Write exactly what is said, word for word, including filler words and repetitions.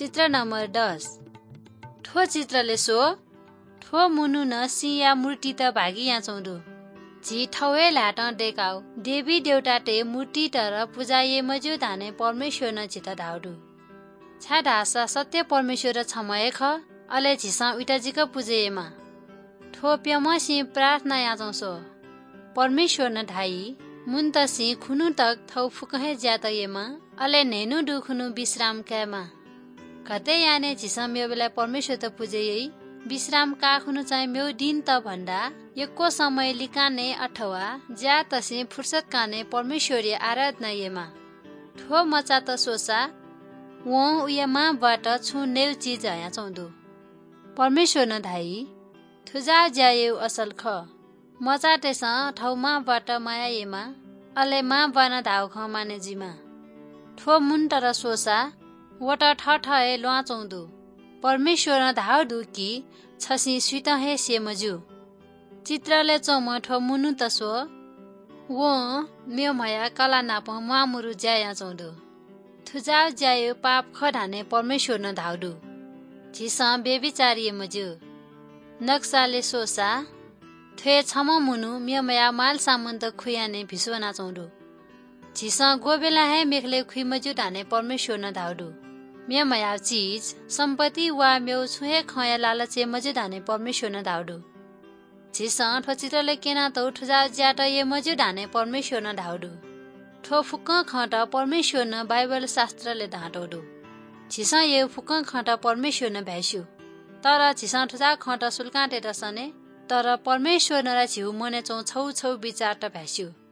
चित्र नम्बर दस। थ्व चित्रले स्व, थ्व मुनुनं सिंया मूर्तित भागि यानाच्वं दु। झी थौं हे ल्हातं दय्काव देवी देवतातय् मूर्तितर पुजा याये मज्यू धाने परमेश्वरनं झीत धाउ दु। छाय्धाःसा सत्य परमेश्वर छम्ह हे खः, अले झीसं उइत जिक पुजा यायेमाः। थ्व प्यम्हसिं प्रार्थना यानाच्वं स्व। परमेश्वरनं धाइ, मुन्तसिं खुन्हु तक थौं फुक्कं हे ज्यात यायेमाः, अले न्हय्न्हु दुखुन्हु विश्राम कायेमाः। गथे याने झीसं मेवलय् परमेश्वरत पुजा याइ, विश्राम काःखुन्हु चाहिँ मेव दिनत भन्दा यक्व समय लिकाने अथवा ज्यातसिं फुर्सद काने परमेश्वरया आराधना यायेमाः। थ्व मचात स्वसा वं उया मांबौत छुं नयेगु चिज हयाच्वं दु। परमेश्वरनं धाइ, थुजाःगु ज्या यायेगु असल खः। मचातय्सं थौं मांबौत माया यायेमाः, अले मांबौनं धाउ खँ माने जुइमाः। थ्व मुन्तर स्वसा वत थःथः हे ल्वानाच्वं दु। परमेश्वरं धाउ दु कि छसिं सुइत हे स्ये मज्यू। चित्रलय् च्वंम्ह थ्व मुनुत स्व, वं मेम्हया कलाः नाप म्वाःमुरु ज्या यानाच्वं दु। थुजाःगु ज्यायु पाप खः धाने परमेश्वरनं धाउ दु। झीसं व्यभिचार याये मज्यू। नक्सालय् स्वसा, थ्वय् छम्ह मुनु मेम्हया मालसामानत खुयाने भिस्वनाच्वं दु। झीसं ग्वबेलां हे मेखलय् खुइ मज्यू धाने परमेश्वरनं धाउ दु। मेम्हया चिज, सम्पत्ति वा मेव छुं हे खँया लालच याये मज्यू धाने परमेश्वरनं धाउ दु। झीसं थ्व चित्रलय् क्यनातःगु थुजाःगु ज्यात याये मज्यू धाने परमेश्वरनं धाउ दु। थ्व फुक्कं खँत परमेश्वरनं बाइबल शास्त्रलय् धानातःगु दु। झीसं यायु फुक्कं खँत परमेश्वरनं भाय्स्यू। तर झीसं थुजाःगु खँत सुलुकां तयेत सने, तर परमेश्वरनं ला झीगु मनय् च्वंगु छगू छगू बिचारत भाय्स्यू।